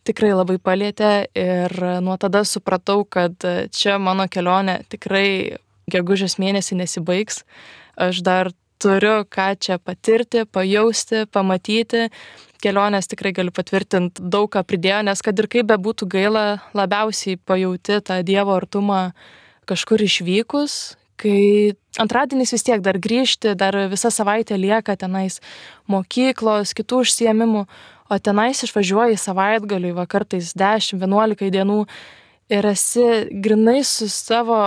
tikrai labai palietė ir nuo tada supratau, kad čia mano kelionė tikrai gegužės mėnesį nesibaigs. Aš dar turiu ką čia patirti, pajausti, pamatyti. Kelionės tikrai galiu patvirtinti, daug ką pridėjo, nes kad ir kaip bebūtų gaila, labiausiai pajauti tą Dievo artumą kažkur išvykus, kai antradieniais vis tiek dar grįžti, dar visą savaitę lieka tenais mokyklos, kitų užsiėmimų, o tenais išvažiuoji savaitgaliui, va kartais 10-11 dienų ir esi grinai su savo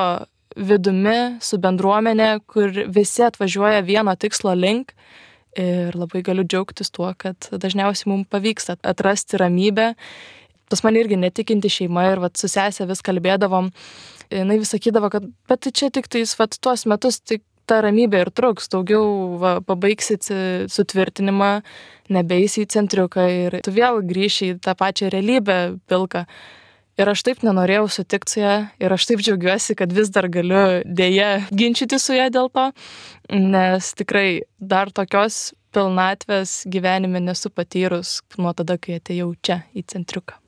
vidumi, su bendruomenė, kur visi atvažiuoja vieno tikslo link ir labai galiu džiaugtis tuo, kad dažniausiai mums pavyksta atrasti ramybę. Pas man irgi netikinti šeima ir su sesė vis kalbėdavom, jinai vis sakydavo, kad bet tai čia tik tais tuos metus tik ta ramybė ir truks, daugiau pabaigsit sutvirtinimą, nebeisi į centriuką ir tu vėl grįši į tą pačią realybę pilką. Ir aš taip nenorėjau sutikti su ją ir aš taip džiaugiuosi, kad vis dar galiu dėja ginčyti su ją dėl to, nes tikrai dar tokios pilnatvės gyvenime nesu patyrus nuo tada, kai atėjau čia į centriuką.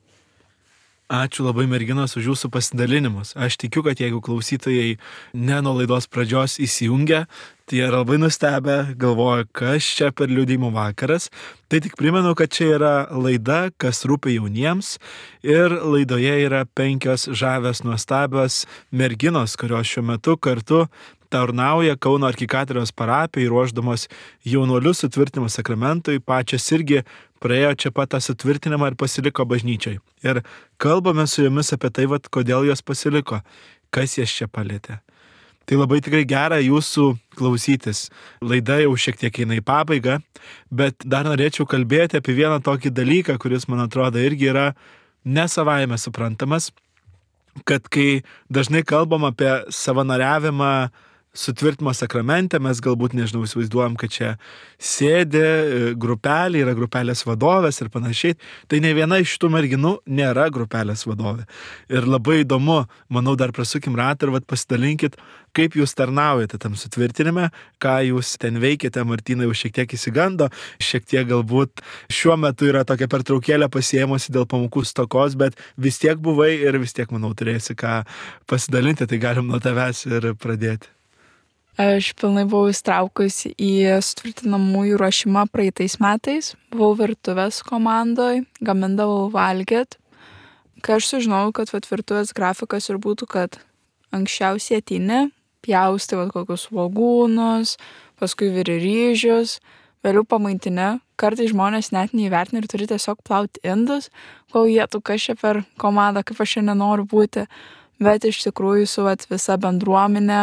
Ačiū labai, merginos, už jūsų pasidalinimus. Aš tikiu, kad jeigu klausytojai ne nuo laidos pradžios įsijungia, tai yra labai nustebę, galvoja, kas čia per liudijimų vakaras. Tai tik primenu, kad čia yra laida, kas rūpi jauniems. Ir laidoje yra 5 žavios nuostabios merginos, kurios šiuo metu kartu tarnauja Kauno arkikatedros parapijai, ruošdamos jaunuolius sutvirtinimo sakramentui, pačios irgi praėjo čia pat tą sutvirtinimą ir pasiliko bažnyčiai. Ir kalbame su jomis apie tai, kodėl jos pasiliko, kas jas čia palėtė. Tai labai tikrai gera jūsų klausytis. Laida jau šiek tiek eina į pabaigą, bet dar norėčiau kalbėti apie vieną tokį dalyką, kuris, man atrodo, irgi yra nesavaime suprantamas, kad kai dažnai kalbam apie savanoriavimą sutvirtimo sakramente, mes galbūt, nežinau, įsivaizduojam, kad čia sėdi grupelė, yra grupelės vadovės ir panašiai. Tai ne viena iš šitų merginų nėra grupelės vadovė. Ir labai įdomu, manau, dar prasukim ratą ir pasidalinkit, kaip jūs tarnaujate tam sutvirtinime, ką jūs ten veikiate. Martyna jau šiek tiek įsigando, šiek tiek galbūt šiuo metu yra tokia pertraukėlė pasiėmusi dėl pamokų stokos, bet vis tiek buvai ir vis tiek, manau, turėsi ką pasidalinti, tai galim nuo tavęs ir pradėti. Aš pilnai buvau įstraukus į sutvirtinamųjų ruošimą praeitais metais. Buvau virtuvės komandoj, gamindavau valgyt. Kai aš sužinojau, kad virtuvės grafikas ir būtų, kad anksčiausiai ateini, pjaustai kokius svogūnus, paskui viri ryžius, vėliau pamaitini. Kartais žmonės net neįvertina ir turi tiesiog plauti indus, kol jie tu kas čia per komandą, kaip aš čia nenoriu būti. Bet iš tikrųjų su visa bendruomenė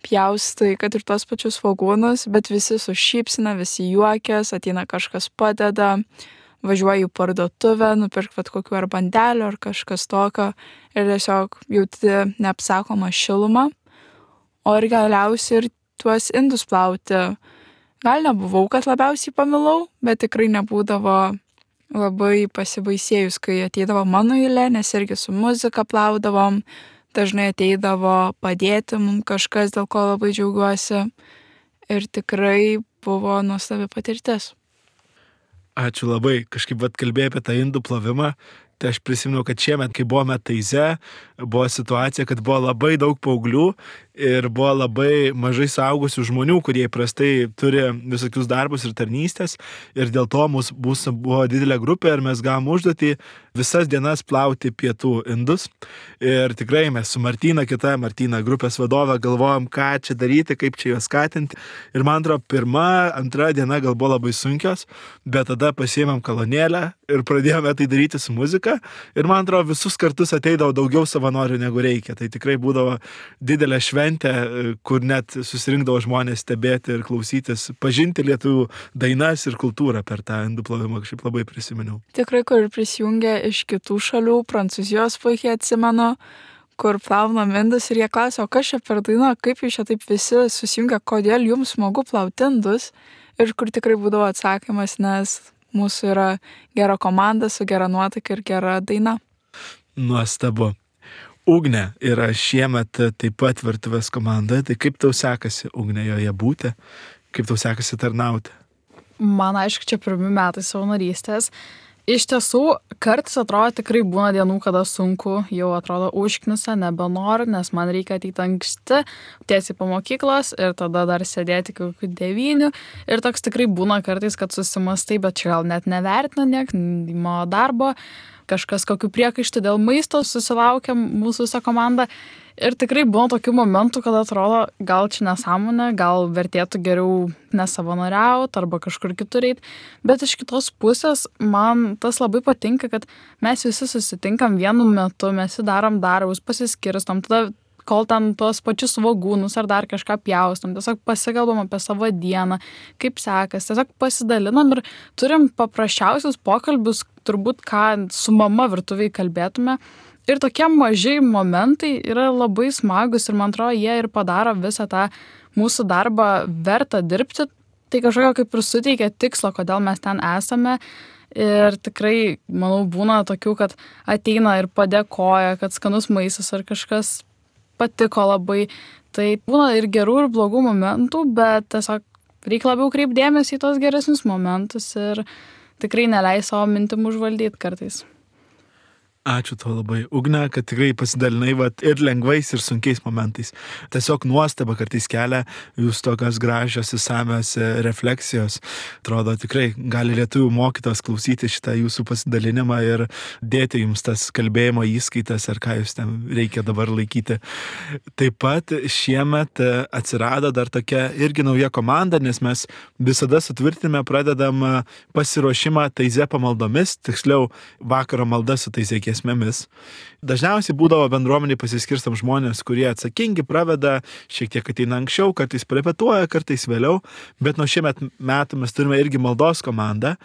pjaustai, kad ir tos pačius svogūnus, bet visi su šypsina, visi juokės, ateina kažkas padeda, važiuoju į parduotuvę, nupirk kokių ar bandelių ar kažkas tokio ir tiesiog jauti neapsakomą šilumą. O ir galiausiai ir tuos indus plauti. Gal nebuvau, kad labiausiai pamilau, bet tikrai nebūdavo labai pasibaisėjus, kai ateidavo mano eilė, nes irgi su muzika plaudavom. Dažnai ateidavo padėti mums kažkas, dėl ko labai džiaugiuosi. Ir tikrai buvo nuostabi patirtis. Ačiū labai. Kažkaip kalbėjai apie tą indų plovimą. Tai aš prisimenu, kad šiemet, kai buvome Taize, buvo situacija, kad buvo labai daug paauglių ir buvo labai mažai suaugusių žmonių, kurie įprastai turi visokius darbus ir tarnystės. Ir dėl to mūsų buvo didelė grupė ir mes gavom užduotį visas dienas plauti pietų indus. Ir tikrai mes su Martyna grupės vadovė, galvojom, ką čia daryti, kaip čia juos skatinti. Ir man atrodo, pirma, antra diena gal buvo labai sunkios, bet tada pasiėmėm kolonėlę ir pradėjome tai daryti su muzika. Ir man atrodo, visus kartus ateidavo daugiau savanorių negu reikia. Tai tikrai būdavo didelė šventė, kur net susirinkdavo žmonės stebėti ir klausytis, pažinti lietuvių dainas ir kultūrą per tą indų plovimą, kažkaip labai prisiminiau. Tikrai, kur prisijungė iš kitų šalių, Prancūzijos puikiai atsimenu, kur plaunam indus ir jie klausė, o kas čia per daina, kaip jūs čia taip visi susijungia, kodėl jums smagu plauti indus, ir kur tikrai būdavo atsakymas, nes mūsų yra gera komanda su gera nuotaika ir gera daina. Nuostabu. Ugnė yra šiemet taip pat virtuvės komandoje, tai kaip tau sekasi, Ugnė, joje būti, kaip tau sekasi tarnauti? Man aišku, čia pirmi metai savanorystės. Iš tiesų, kartais atrodo tikrai būna dienų, kada sunku, jau atrodo užknisa, nebenoriu, nes man reikia ateiti anksti, tiesiai po mokyklos ir tada dar sėdėti kokių 9. Ir toks tikrai būna kartais, kad susimastai, bet čia gal net nevertina niek, mano darbo, kažkas kokių priekaištų dėl maisto susilaukia mūsų visą komandą. Ir tikrai buvo tokių momentų, kad atrodo, gal čia nesąmonė, gal vertėtų geriau nesavanoriauti arba kažkur kitur eiti. Bet iš kitos pusės man tas labai patinka, kad mes visi susitinkam vienu metu, mes darom darbus, pasiskirstom, tada kol ten tuos pačius svogūnus ar dar kažką pjaustom, tiesiog pasikalbam apie savo dieną, kaip sekas, tiesiog pasidalinam ir turim paprasčiausius pokalbius, turbūt ką su mama virtuviai kalbėtume. Ir tokie maži momentai yra labai smagus ir man atrodo, jie ir padaro visą tą mūsų darbą vertą dirbti. Tai kažkokio kaip ir suteikia tikslo, kodėl mes ten esame. Ir tikrai, manau, būna tokių, kad ateina ir padėkoja, kad skanus maistas ar kažkas patiko labai. Tai būna ir gerų, ir blogų momentų, bet tiesiog reikia labiau kreipdėmėsi į tos geresnius momentus ir tikrai neleis savo mintim užvaldyti kartais. Ačiū tau labai, Ugne, kad tikrai pasidalinai ir lengvais, ir sunkiais momentais. Tiesiog nuostaba kartais kelia jūs tokios gražios, įsamios refleksijos. Atrodo, tikrai gali lietuvių mokytojas klausyti šitą jūsų pasidalinimą ir dėti jums tas kalbėjimo įskaitas, ar ką jūs ten reikia dabar laikyti. Taip pat šiemet atsirado dar tokia irgi nauja komanda, nes mes visada sutvirtinime pradedam pasiruošimą Taize pamaldomis, tiksliau vakaro malda su Taizekės giesmėmis. Dažniausiai būdavo bendruomeniai pasiskirstam žmonės, kurie atsakingi, praveda, šiek tiek ateina anksčiau, kartais repetuoja, kartais vėliau, bet nuo šiemet metų mes turime irgi maldos komandą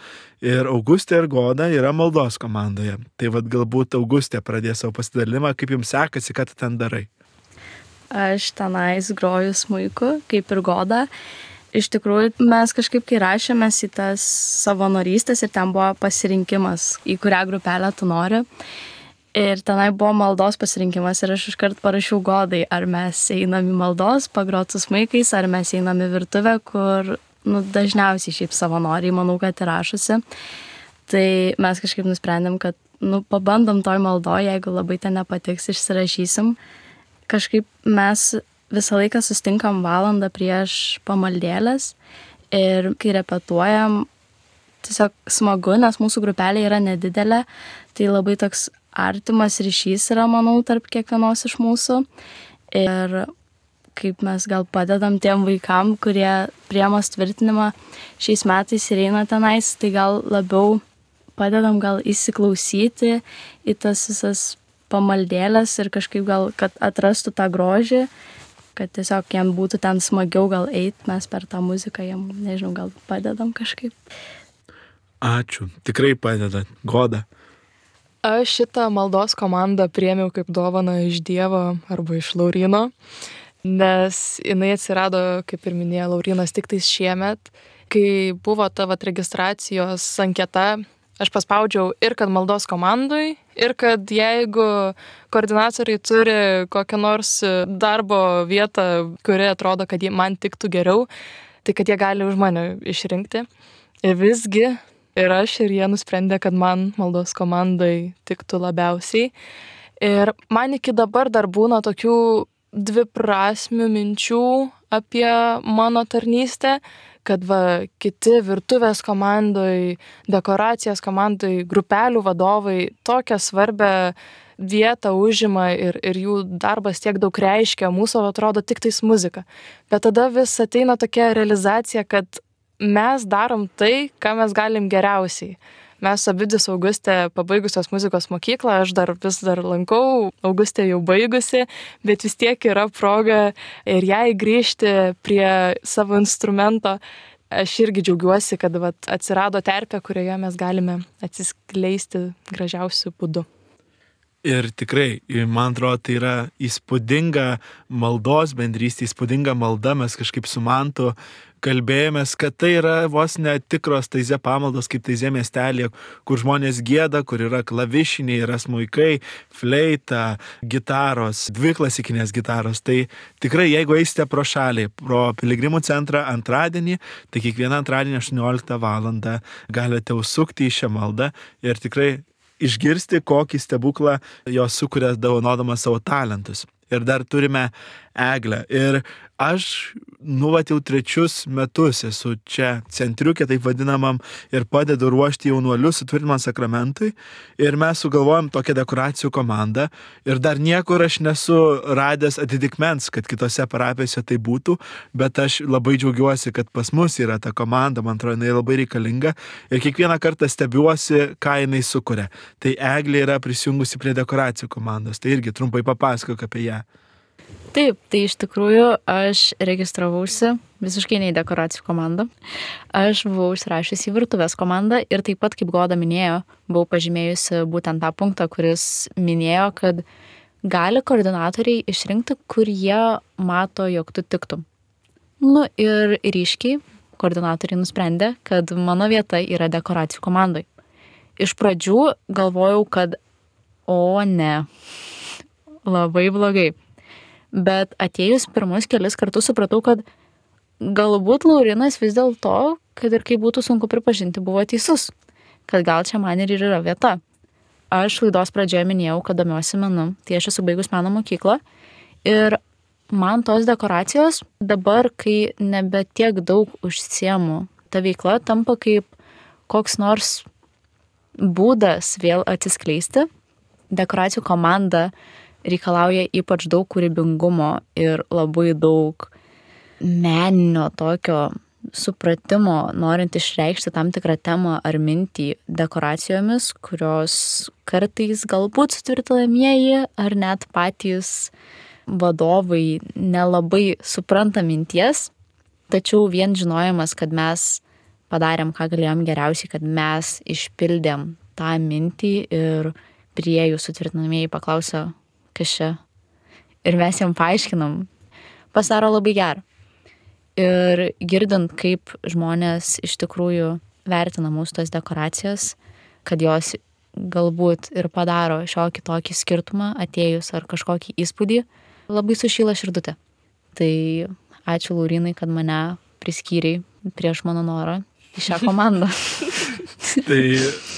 ir Augustė ir Goda yra maldos komandoje. Tai vad galbūt Augustė pradės savo pasidalimą, kaip jums sekasi, ką tu ten darai. Aš tenais groju smuiku, kaip ir Goda. Iš tikrųjų, mes kažkaip, kai rašėmės į tas savanorystės ir ten buvo pasirinkimas, į kurią grupelę tu nori. Ir tenai buvo maldos pasirinkimas ir aš iškart parašiau Godai, ar mes einam į maldos, pagrot su smuikais, ar mes einam į virtuvę, kur dažniausiai šiaip savanoriai, manau, kad ir rašosi. Tai mes kažkaip nusprendėm, kad pabandom toj maldoj, jeigu labai ten nepatiks, išsirašysim. Kažkaip mes visą laiką sustinkam valandą prieš pamaldėlės ir kai repetuojam, tiesiog smagu, nes mūsų grupelė yra nedidelė, tai labai toks artimas ryšys yra, manau, tarp kiekvienos iš mūsų. Ir kaip mes gal padedam tiem vaikam, kurie priema tvirtinimą šiais metais ir eina tenais, tai gal labiau padedam gal įsiklausyti į tas visas pamaldėlės ir kažkaip gal, kad atrastų tą grožį, kad tiesiog jam būtų ten smagiau gal eit, mes per tą muziką jam, nežinau, gal padedam kažkaip. Ačiū, tikrai padedat. Goda. Aš šitą maldos komandą priėmiau kaip dovaną iš Dievo arba iš Lauryno, nes jinai atsirado, kaip ir minėjo Laurynas, tik tais šiemet, kai buvo ta registracijos anketa. Aš paspaudžiau ir kad maldos komandui, ir kad jeigu koordinatoriai turi kokią nors darbo vietą, kuri atrodo, kad man tiktų geriau, tai kad jie gali už mane išrinkti. Ir visgi ir aš, ir jie nusprendė, kad man maldos komandai tiktų labiausiai. Ir man iki dabar dar būna tokių dviprasmių minčių apie mano tarnystę, kad kiti virtuvės komandoj, dekoracijos komandoj, grupelių vadovai tokią svarbę vietą užima ir jų darbas tiek daug reiškia, mūsų atrodo tik tais muzika. Bet tada vis ateina tokia realizacija, kad mes darom tai, ką mes galim geriausiai. Mes abidvi su Augustė pabaigusios muzikos mokyklą, aš vis dar lankau, Augustė jau baigusi, bet vis tiek yra proga ir jai grįžti prie savo instrumento. Aš irgi džiaugiuosi, kad atsirado terpė, kurioje mes galime atsiskleisti gražiausiu būdu. Ir tikrai, man atrodo, tai yra įspūdinga maldos bendrystė, įspūdinga malda, mes kažkaip su Mantu kalbėjomės, kad tai yra vos netikros Taizė pamaldos, kaip Taizė miestelė, kur žmonės gieda, kur yra klavišiniai, yra smuikai, fleita, gitaros, 2 klasikinės gitaros. Tai tikrai, jeigu eisite pro šalį, pro Piligrimų centrą antradienį, tai kiekvieną antradienį 18 valandą galite užsukti į šią maldą ir tikrai išgirsti, kokį stebuklą jos sukuria dovanodama savo talentus. Ir dar turime Eglę. Ir aš jau 3 metus esu čia centriukė, taip vadinamam, ir padedu ruošti jaunuolius sutvirtinimą sakramentui. Ir mes sugalvojom tokią dekoracijų komandą. Ir dar niekur aš nesu radęs atitikmens, kad kitose parapijose tai būtų, bet aš labai džiaugiuosi, kad pas mus yra ta komanda, man atrodo, jinai labai reikalinga. Ir kiekvieną kartą stebiuosi, ką jinai sukuria. Tai Eglė yra prisijungusi prie dekoracijų komandos. Tai irgi trumpai papasakok apie ją. Taip, tai iš tikrųjų aš registravausi visiškai ne į dekoracijų komandą. Aš buvau užsirašiusi į virtuvės komandą ir taip pat, kaip Goda minėjo, buvau pažymėjusi būtent tą punktą, kuris minėjo, kad gali koordinatoriai išrinkti, kur jie mato, jog tu tiktum. Ir ryškiai koordinatoriai nusprendė, kad mano vieta yra dekoracijų komandai. Iš pradžių galvojau, kad ne, labai blogai. Bet atėjus pirmus kelis kartus supratau, kad galbūt Laurynas vis dėlto, kad ir kaip būtų sunku pripažinti, buvo teisus, kad gal čia man ir yra vieta. Aš laidos pradžioje minėjau, kad domiuosi menu, tai aš esu baigus meno mokyklą ir man tos dekoracijos dabar, kai nebe tiek daug užsiemu, ta veikla tampa kaip koks nors būdas vėl atsiskleisti. Dekoracijų komanda reikalauja ypač daug kūrybingumo ir labai daug meninio tokio supratimo, norint išreikšti tam tikrą temą ar mintį dekoracijomis, kurios kartais galbūt sutvirtinamieji ar net patys vadovai nelabai supranta minties, tačiau vien žinojimas, kad mes padarėm, ką galėjom geriausiai, kad mes išpildėm tą mintį ir priėjus sutvirtinamieji paklausė, kas čia. Ir mes jam paaiškinam, pasidaro labai gerą. Ir girdint, kaip žmonės iš tikrųjų vertina mūsų tas dekoracijas, kad jos galbūt ir padaro šiokį tokį skirtumą atėjus ar kažkokį įspūdį, labai sušyla širdutė. Tai ačiū Laurynai, kad mane priskyrei prieš mano norą į šią komandą. Tai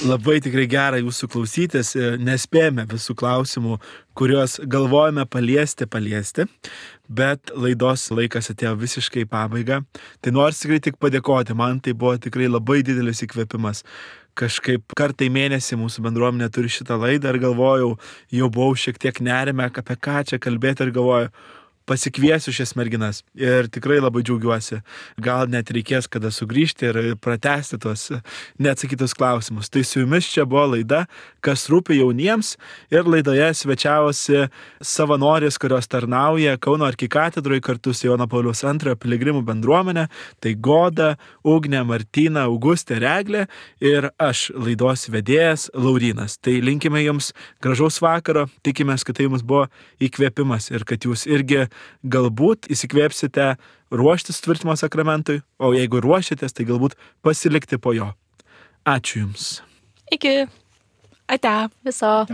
labai tikrai gera jūsų klausytis, nespėjame visų klausimų, kuriuos galvojame paliesti, bet laidos laikas atėjo visiškai į pabaigą. Tai noriu tikrai tik padėkoti, man tai buvo tikrai labai didelis įkvėpimas. Kažkaip kartą į mėnesį mūsų bendruomenė turi šitą laidą ir galvojau, jau buvau šiek tiek nerime, apie ką čia kalbėti ir galvoju, pasikviesiu šias merginas ir tikrai labai džiaugiuosi. Gal net reikės kada sugrįžti ir pratęsti tuos neatsakytus klausimus. Tai su jumis čia buvo laida, kas rūpi jauniems, ir laidoje svečiavosi savanorės, kurios tarnauja Kauno arkikatedroje kartu su Jono Pauliaus II piligrimų bendruomenė. Tai Goda, Ugnė, Martina, Augustė, Eglė ir aš, laidos vedėjas Laurynas. Tai linkime jums gražaus vakaro, tikimės, kad tai jums buvo įkvėpimas ir kad jūs irgi galbūt įsikvėpsite ruoštis tvirtimo sakramentui, o jeigu ruošiatės, tai galbūt pasilikti po jo. Ačiū Jums. Iki. Ate. Viso.